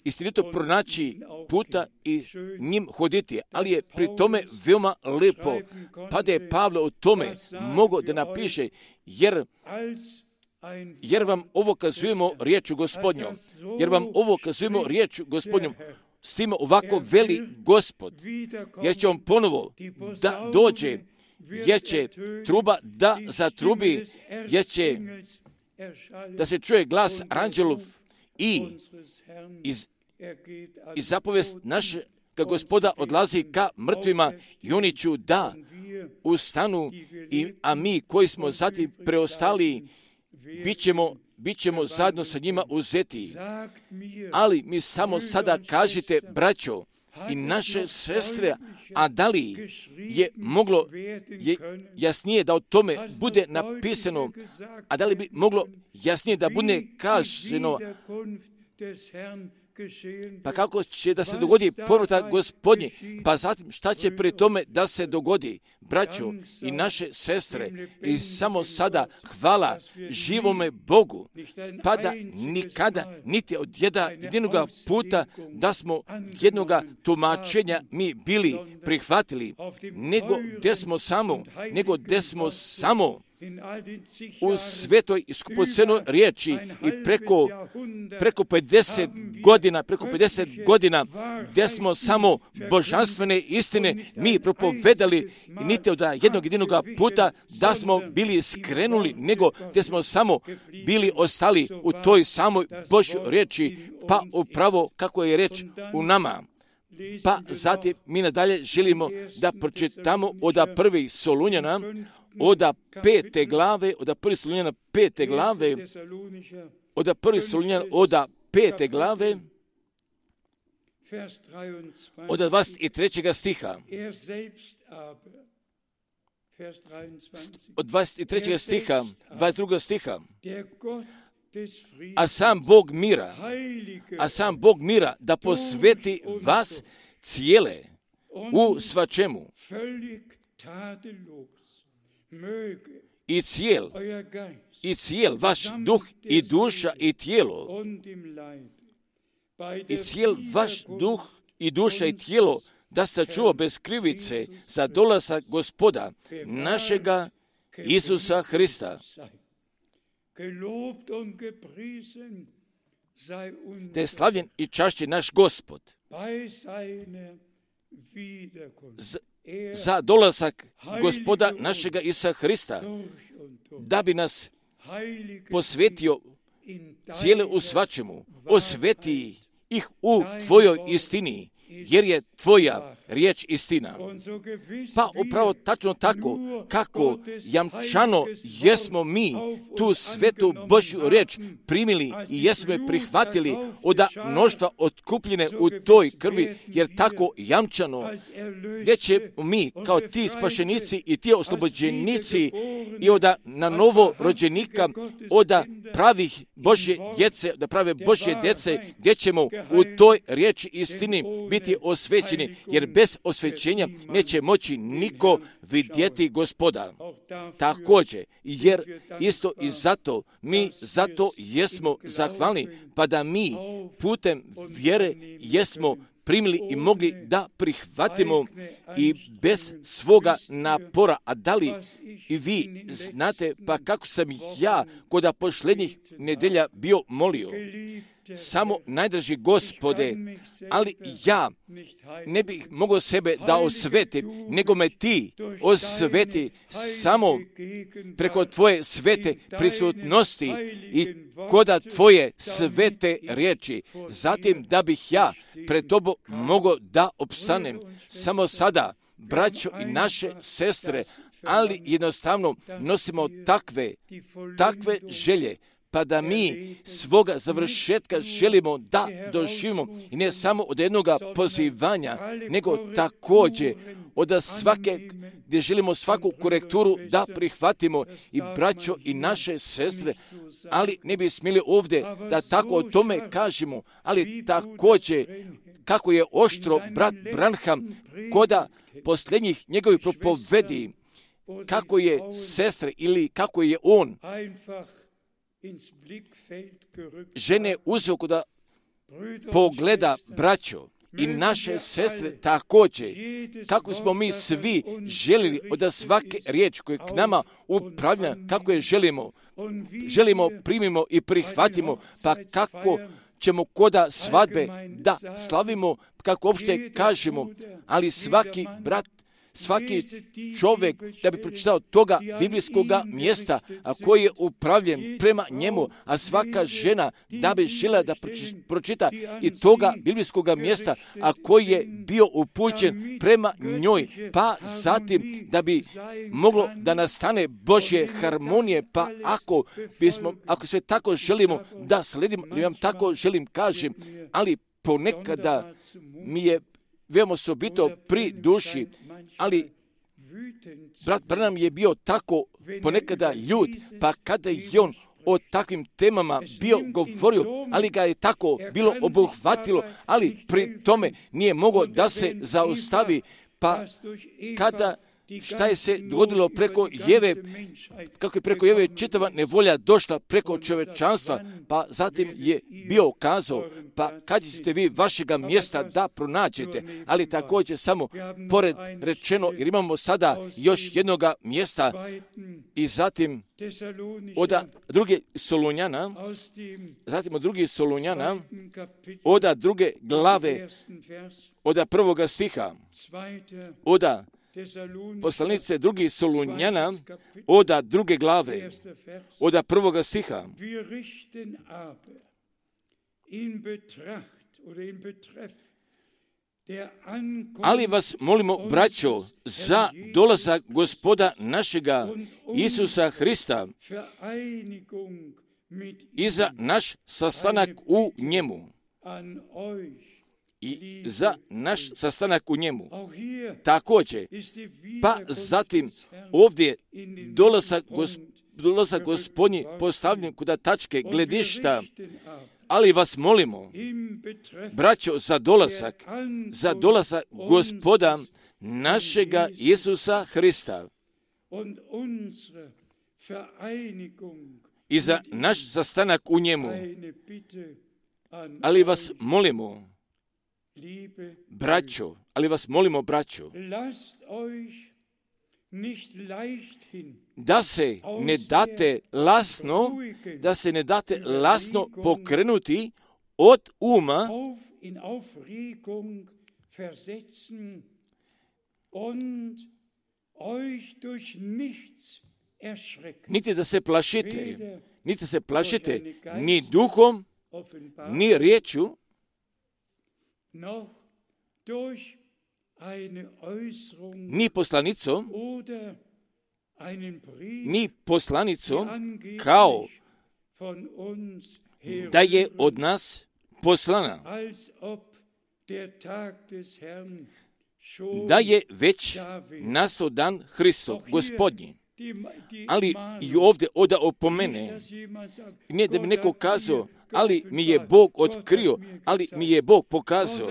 istinito pronaći puta i njim hoditi, ali je pri tome veoma lepo, pa da je Pavle o tome mogao da napiše, jer jer vam ovo kazujemo riječu Gospodnjom, jer vam ovo kazujemo riječu Gospodnjom, s tim ovako veli Gospod, jer će on ponovo da dođe, jer će truba da zatrubi, jer će da se čuje glas anđelov i iz, iz zapovest naše kad Gospoda odlazi ka mrtvima i oni ću da ustanu, i, a mi koji smo zatim preostali bit ćemo, bit ćemo zajedno sa njima uzeti. Ali mi samo sada kažite, braćo i naše sestre, a da li je moglo je jasnije da o tome bude napisano, a da li bi moglo jasnije da bude kaženo, pa kako će da se dogodi povratak Gospodnji, pa zatim šta će pri tome da se dogodi, braćo i naše sestre, i samo sada hvala živome Bogu, pa da nikada, niti od jedna, jedinoga puta da smo jednoga tumačenja mi bili prihvatili, nego gdje smo samo, nego gdje smo samo u svetoj i skupocenoj riječi i preko, preko pedeset godina, preko pedeset godina gdje smo samo božanstvene istine mi propovedali, i niti od jednog jedinoga puta da smo bili skrenuli, nego gdje smo samo bili ostali u toj samoj Božjoj riječi, pa upravo kako je reč u nama. Pa zatim mi nadalje želimo da pročitamo od prvih Solunjana, od pete glave, od prvih Solunjana pete glave, od prvih Solunjana od pete glave, od dvadeset trećeg stiha. Od dvadeset trećeg stiha, dvadeset drugog stiha. A sam Bog mira, a sam Bog mira da posveti vas cijele u svačemu i cijel, i cijel vaš duh i duša i tijelo, i cijel vaš duh i duša i tijelo da sačuva bez krivice za dolazak Gospoda našega Isusa Hrista. Da je slavljen i čašćen naš Gospod za, za dolazak Gospoda našega Isusa Hrista, da bi nas posvetio cijele u svačemu, osveti ih u tvojoj istini, jer je tvoja riječ istina. Pa upravo tačno tako, kako jamčano jesmo mi tu svetu Božju riječ primili i jesmo je prihvatili od mnoštva otkupljene u toj krvi, jer tako jamčano, gdje će mi kao ti spašenici i ti oslobođenici i od na novo rođenika, od pravih Božje djece, da prave Božje djece, gdje ćemo u toj riječi istini biti osvećeni, jer bez osvećenja neće moći niko vidjeti Gospoda. Također, jer isto i zato, mi zato jesmo zahvalni, pa da mi putem vjere jesmo primili i mogli da prihvatimo i bez svoga napora. A da li i vi znate, pa kako sam ja kod posljednjih nedelja bio molio, samo najdraži Gospode, ali ja ne bih mogao sebe da osvetim, nego me ti osveti samo preko tvoje svete prisutnosti i koda tvoje svete riječi. Zatim da bih ja pred tobom mogao da opstanem. Samo sada, braćo i naše sestre, ali jednostavno nosimo takve, takve želje, pa da mi svoga završetka želimo da doživimo i ne samo od jednoga pozivanja, nego također od svake, gdje želimo svaku korekturu da prihvatimo i braćo i naše sestre, ali ne bi smjeli ovdje da tako o tome kažemo, ali također kako je oštro brat Branham koda posljednjih njegovih propovedi, kako je sestre ili kako je on žene uzeo da pogleda braćo i naše sestre također, kako smo mi svi željeli od svake riječi koje k nama upravlja, kako je želimo, želimo, primimo i prihvatimo, pa kako ćemo koda svadbe da slavimo, kako uopšte kažemo, ali svaki brat, svaki čovjek da bi pročitao toga biblijskog mjesta, a koji je upravljen prema njemu, a svaka žena da bi željela da pročita i toga biblijskog mjesta, a koji je bio upućen prema njoj, pa zatim da bi moglo da nastane Božje harmonije, pa ako bismo, ako sve tako želimo da sledimo, ja vam tako želim kažem, ali ponekada mi je veoma osobito pri duši, ali brat Branham je bio tako ponekada ljud, pa kada je on o takvim temama bio govorio, ali ga je tako bilo obuhvatilo, ali pri tome nije mogao da se zaustavi, pa kada šta je se dogodilo preko Jeve, kako je preko Jeve čitava nevolja došla preko čovečanstva, pa zatim je bio kazao, pa kad ćete vi vašega mjesta da pronađete, ali također samo pored rečeno, jer imamo sada još jednoga mjesta i zatim od druge Solunjana, zatim od druge Solunjana, od druge glave, od prvoga stiha, od poslanice drugi Solunjana, od druge glave, od prvoga stiha. Ali vas molimo, braćo, za dolazak Gospoda našega Isusa Hrista i za naš sastanak u njemu. I za naš sastanak u njemu. Također, pa zatim ovdje dolazak, gosp, dolazak Gospodnji postavljen kod tačke gledišta, ali vas molimo, braćo, za dolazak, za dolazak Gospoda našega Isusa Hrista i za naš sastanak u njemu. Ali vas molimo, braćo, ali vas molimo, braćo, da se ne date lasno, da se ne date lasno pokrenuti od uma niti da se plašite, niti se plašite ni duhom, ni riječju, ni poslanicom, ni poslanicom, kao da je od nas poslana, da je već nastao dan Hristov, Gospodnji. Ali i ovdje oda opomene, ne da bi neko kazao, ali mi je Bog otkrio, ali mi je Bog pokazao,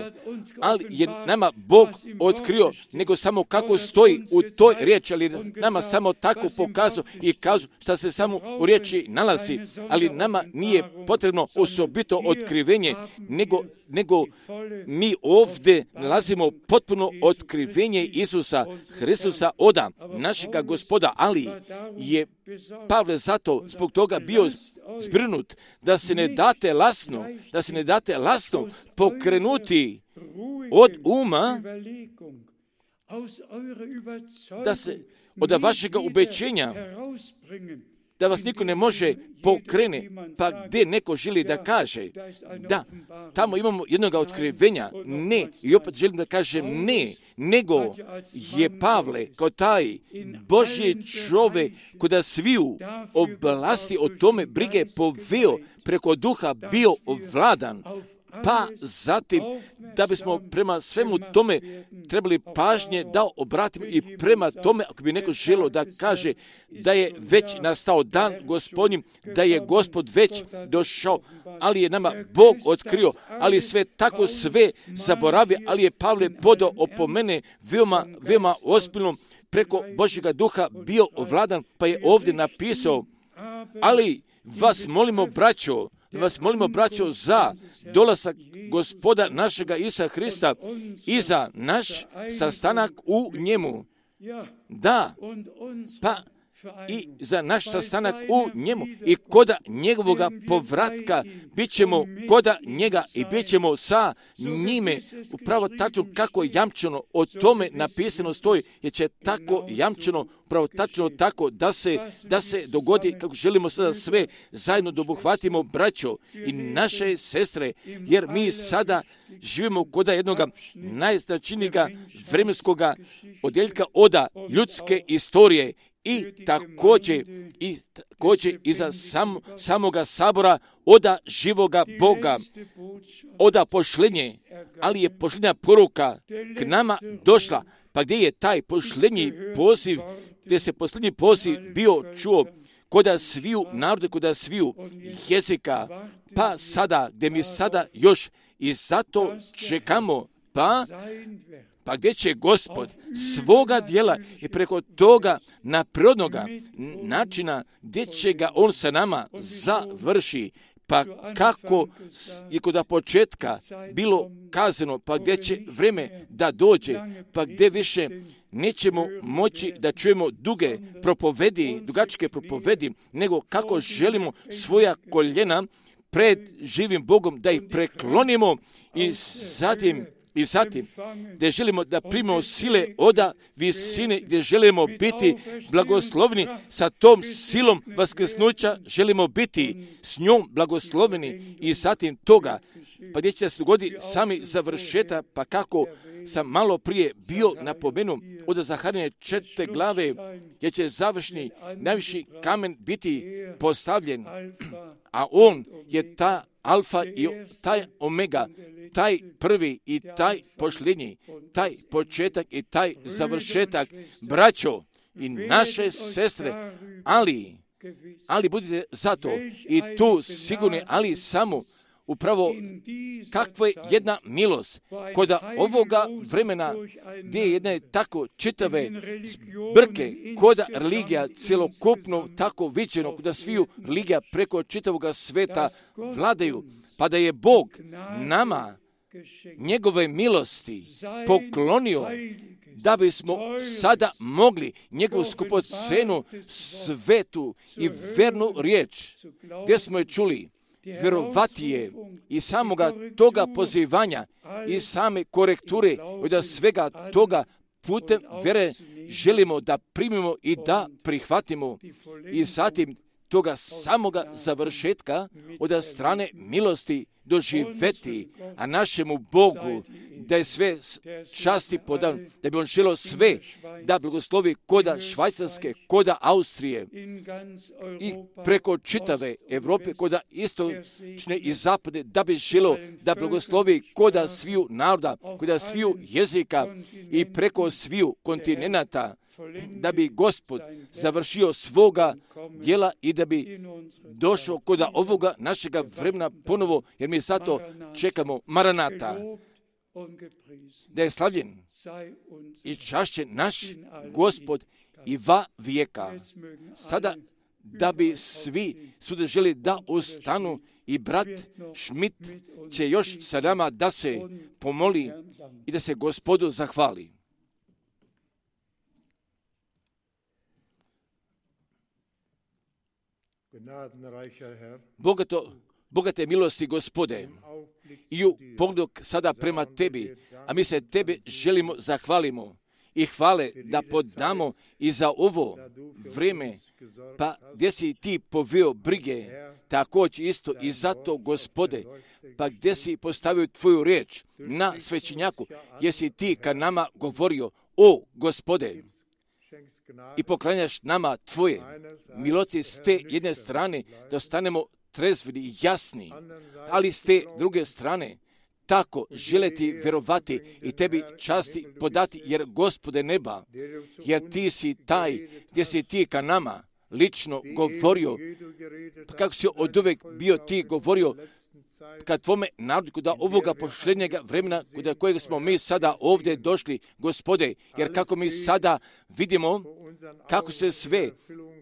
ali je nama Bog otkrio, nego samo kako stoji u toj riječi, ali nama samo tako pokazao i kažu šta se samo u riječi nalazi, ali nama nije potrebno osobito otkrivenje, nego, nego mi ovdje nalazimo potpuno otkrivenje Isusa Hristusa oda, našega Gospoda, ali je Pavle zato zbog toga bio zbrinut da se ne date lasno, da se ne date lasno pokrenuti od uma, da se od vašega ubeđenja, da vas niko ne može pokrene, pa gdje neko želi da kaže, da, tamo imamo jednog otkrivenja, ne, i opet želim da kažem ne, nego je Pavle kao taj Božji čovjek koda sviju oblasti o tome brige poveo preko duha bio ovladan, pa zatim da bismo prema svemu tome trebali pažnje da obratimo i prema tome, ako bi neko želio da kaže da je već nastao dan Gospodnji, da je Gospod već došao, ali je nama Bog otkrio, ali sve tako sve zaboravi, ali je Pavle podao opomene veoma, veoma ozbiljno preko Božjega duha bio ovladan, pa je ovdje napisao, ali vas molimo, braćo, vas molimo, braćo, za dolazak Gospoda našega Isusa Hrista i za naš sastanak u njemu. Da, pa i za naš sastanak u njemu i koda njegovoga povratka bit ćemo koda njega i bit ćemo sa njime. Upravo tačno kako jamčeno o tome napisano stoji, jer će tako jamčeno, upravo tačno tako da se, da se dogodi kako želimo sada sve zajedno da obuhvatimo, braćo i naše sestre, jer mi sada živimo koda jednoga najznačajnijega vremenskoga odjeljka oda ljudske istorije. I također, i također iza sam, samoga sabora oda živoga Boga, oda pošlenje, ali je pošlenja poruka k nama došla. Pa gdje je taj pošlenji poziv, gdje se posljednji poziv bio čuo koda sviju narode, koda sviju jezika, pa sada, gdje mi sada još i zato čekamo, pa Pa gdje će Gospod svoga dijela i preko toga naprirodnoga načina gdje će ga on sa nama završi, pa kako je kod početka bilo kazano, pa gdje će vrijeme da dođe, pa gdje više nećemo moći da čujemo duge propovedi, dugačke propovedi, nego kako želimo svoja koljena pred živim Bogom da ih preklonimo i zatim I zatim, gdje želimo da primimo sile oda visine, gdje želimo biti blagoslovni sa tom silom vaskrsnuća, želimo biti s njom blagosloveni i zatim toga, pa gdje će se dogoditi sami završeta, pa kako sam malo prije bio napomenuo od Zaharije četvrte glave, gdje će završni najviši kamen biti postavljen, a on je ta alfa i taj omega, taj prvi i taj posljednji, taj početak i taj završetak, braćo i naše sestre, ali, ali budite zato i tu sigurni, ali samo upravo kakva je jedna milost koda ovoga vremena gdje je jedne tako čitave zbrke koda religija celokupno tako viđeno koda sviju religija preko čitavoga sveta vladaju, pa da je Bog nama njegove milosti poklonio da bismo sada mogli njegovu skupocenu svetu i vernu riječ gdje smo je čuli vjerovati je i samoga toga pozivanja i same korekture od svega toga putem vjere želimo da primimo i da prihvatimo i zatim toga samoga završetka od strane milosti doživeti, a našemu Bogu da je sve časti podan, da bi on želio sve da blagoslovi koda Švajcarske, koda Austrije i preko čitave Evrope, koda istočne i zapade, da bi želio da blagoslovi koda sviju naroda, koda sviju jezika i preko sviju kontinenata, da bi Gospod završio svoga djela i da bi došao koda ovoga našega vremena ponovo, jer mi zato čekamo Maranata, da je slavljen i čašćen naš Gospod i va vijeka. Sada da bi svi sude želi da ostanu i brat Schmidt će još sa nama da se pomoli i da se Gospodu zahvali. Bogato, bogate milosti Gospode, i u pogledu sada prema tebi, a mi se tebe želimo zahvalimo i hvale da podamo i za ovo vrijeme, pa gdje si ti poveo brige, također isto i zato, Gospode, pa gdje si postavio tvoju riječ na svećenjaku, gdje si ti ka nama govorio, o Gospode, i poklanjaš nama tvoje milosti s te jedne strane, da ostanemo trezveni i jasni, ali s te druge strane, tako želeti vjerovati i tebi časti podati, jer Gospode neba, jer ti si taj gdje si ti ka nama lično govorio, pa kako si od uvek bio ti govorio kad tvome narodu, kuda ovoga posljednjega vremena, kuda kojeg smo mi sada ovdje došli, Gospode, jer kako mi sada vidimo kako se sve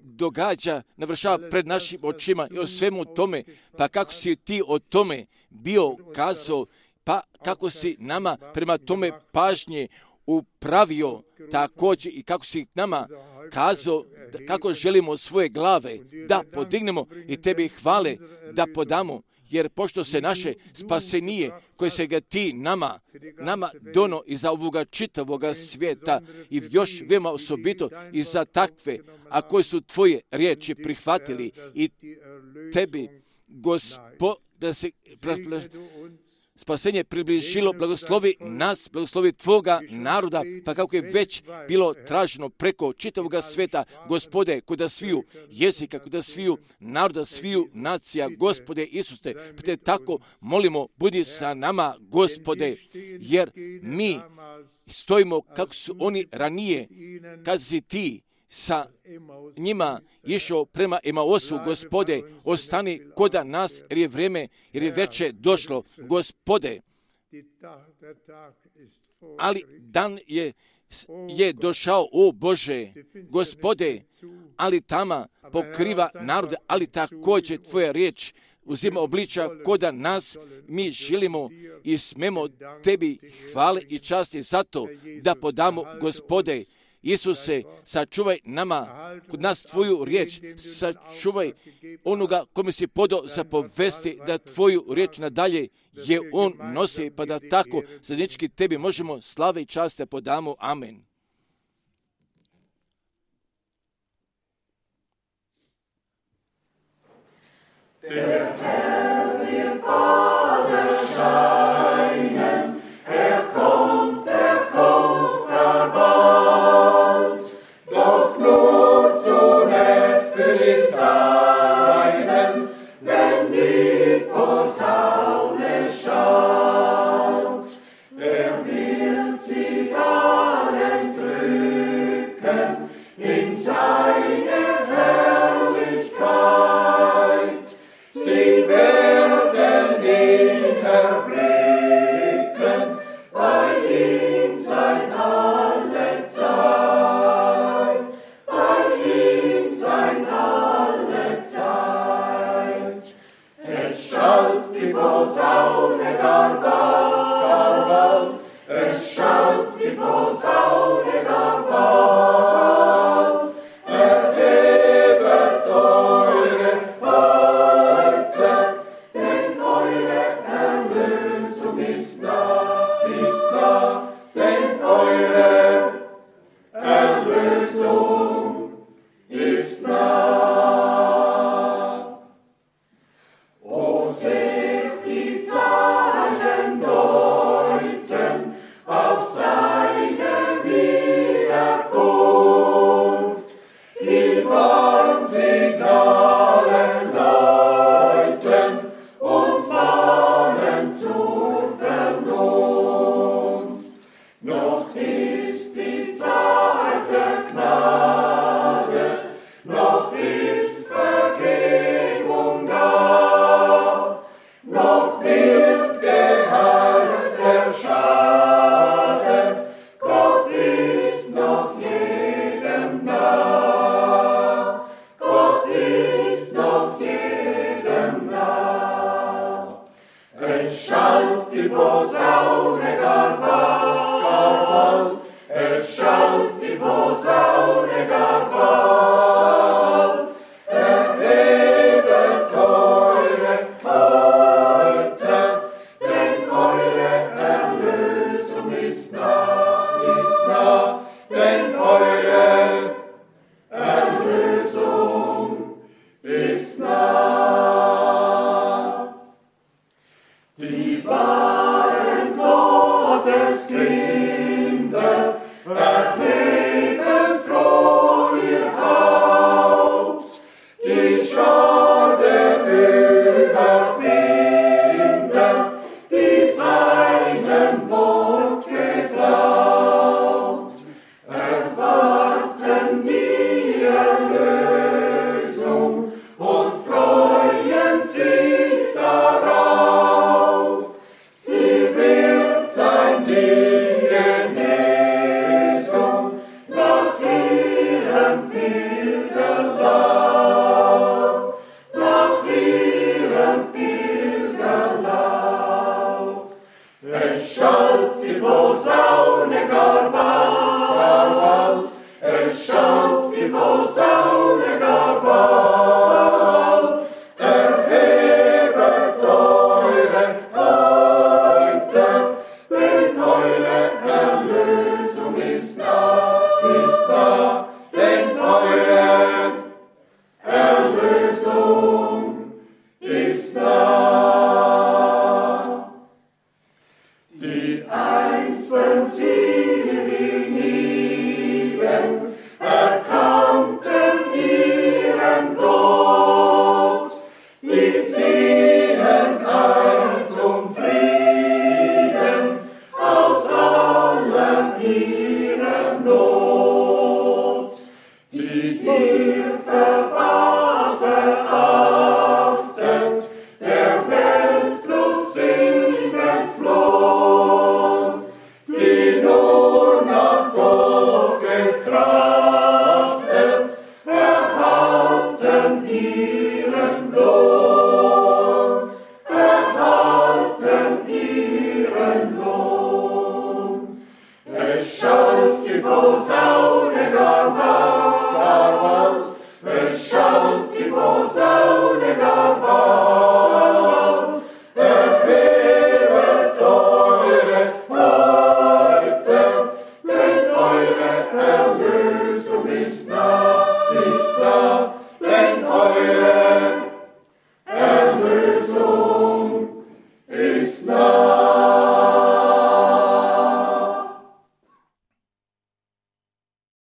događa, navršava pred našim očima i o svemu tome, pa kako si ti o tome bio kazao, pa kako si nama prema tome pažnje upravio također i kako si nama kazao kako želimo svoje glave da podignemo i tebi hvale da podamo, jer pošto se naše spasenije koje se ga ti nama, nama dono i za ovoga čitavoga svijeta i još veoma osobito i za takve, a koji su tvoje riječi prihvatili i tebi, Gospod, da se spasenje približilo, blagoslovi nas, blagoslovi tvoga naroda, pa kako je već bilo traženo preko čitavoga sveta, Gospode, kuda sviju jezika, kuda sviju naroda, sviju nacija, Gospode Isuse, pa te tako molimo, budi sa nama, Gospode, jer mi stojimo kako su oni ranije, kad si ti sa njima išao prema Emausu, Gospode, ostani koda nas, jer je vrijeme, jer je veče došlo, Gospode. Ali dan je, je došao, o Bože, Gospode, ali tama pokriva narode, ali također tvoja riječ uzima obliča koda nas, mi želimo i smemo tebi hvale i časti zato da podamo, Gospode, Isuse, sačuvaj nama, kod nas tvoju riječ, sačuvaj onoga kome si podao zapovesti da tvoju riječ nadalje je on nosi, pa da tako zajednički tebi možemo slave i čast da podamo. Amen. Der Herr wird bald erscheinen, er kommt, er kommt, er bald, doch nur zunächst für die Seinen, wenn die Posaune schallt. Er wird sie dann entrücken in seine Herrlichkeit. Sie werden ihn erblicken, bei ihm sein alle Zeit, bei ihm sein alle Zeit. Es schallt die Posaune gar bald, gar bald, es schallt die Posaune gar bald, erhebet eure Häupter, denn eure Erlösung ist nah, ist nah, denn eure Erlösung ist nah. O seht die Zeichen deuten auf seine Wiederkunft, die Warnsignale läuten und mahnen zur Vernunft. Noch ist die Zeit der Gnade, noch ist Vergebung da, noch wird geheilt der Schaden, Gott ist noch jedem nah, Gott ist noch jedem nah. Es schallt die Posaune gar bald, gar bald, es schallt die Posaune gar bald, erhebet eure Häupter, denn eure Erlösung ist nah, ist nah, Die wahren Gotteskinder erheben froh ihr Haupt, die Schar der Überwinder, die seinem Wort geglaubt, erwarten die Erlösung und freuen sich darauf. Sie wird sein die Genesung nach ihrem Pilgerlauf, nach ihrem Pilgerlauf. Es schallt die Posaune gar bald, gar bald, es schallt die Posaune gar bald. Erhebet eure Häupter, denn eure Erlösung ist nah, ist nah, denn eure Erlösung ist nah. Die einzeln sie hienieden erkannten ihren Gott, die ziehen ein zum Frieden aus aller ihrer Not, die hier verwahrt, verachtet, der Weltlust sind entflohen, die nur nach Gott getrachtet, erhalten ihren Lohn, erhalten ihren Lohn. Es schallt die Posaune gar bald, gar bald, es schallt die Posaune gar bald. Erhebet eure Häupter, denn eure Erlösung ist nah, ist nah, denn eure Erlösung ist nah.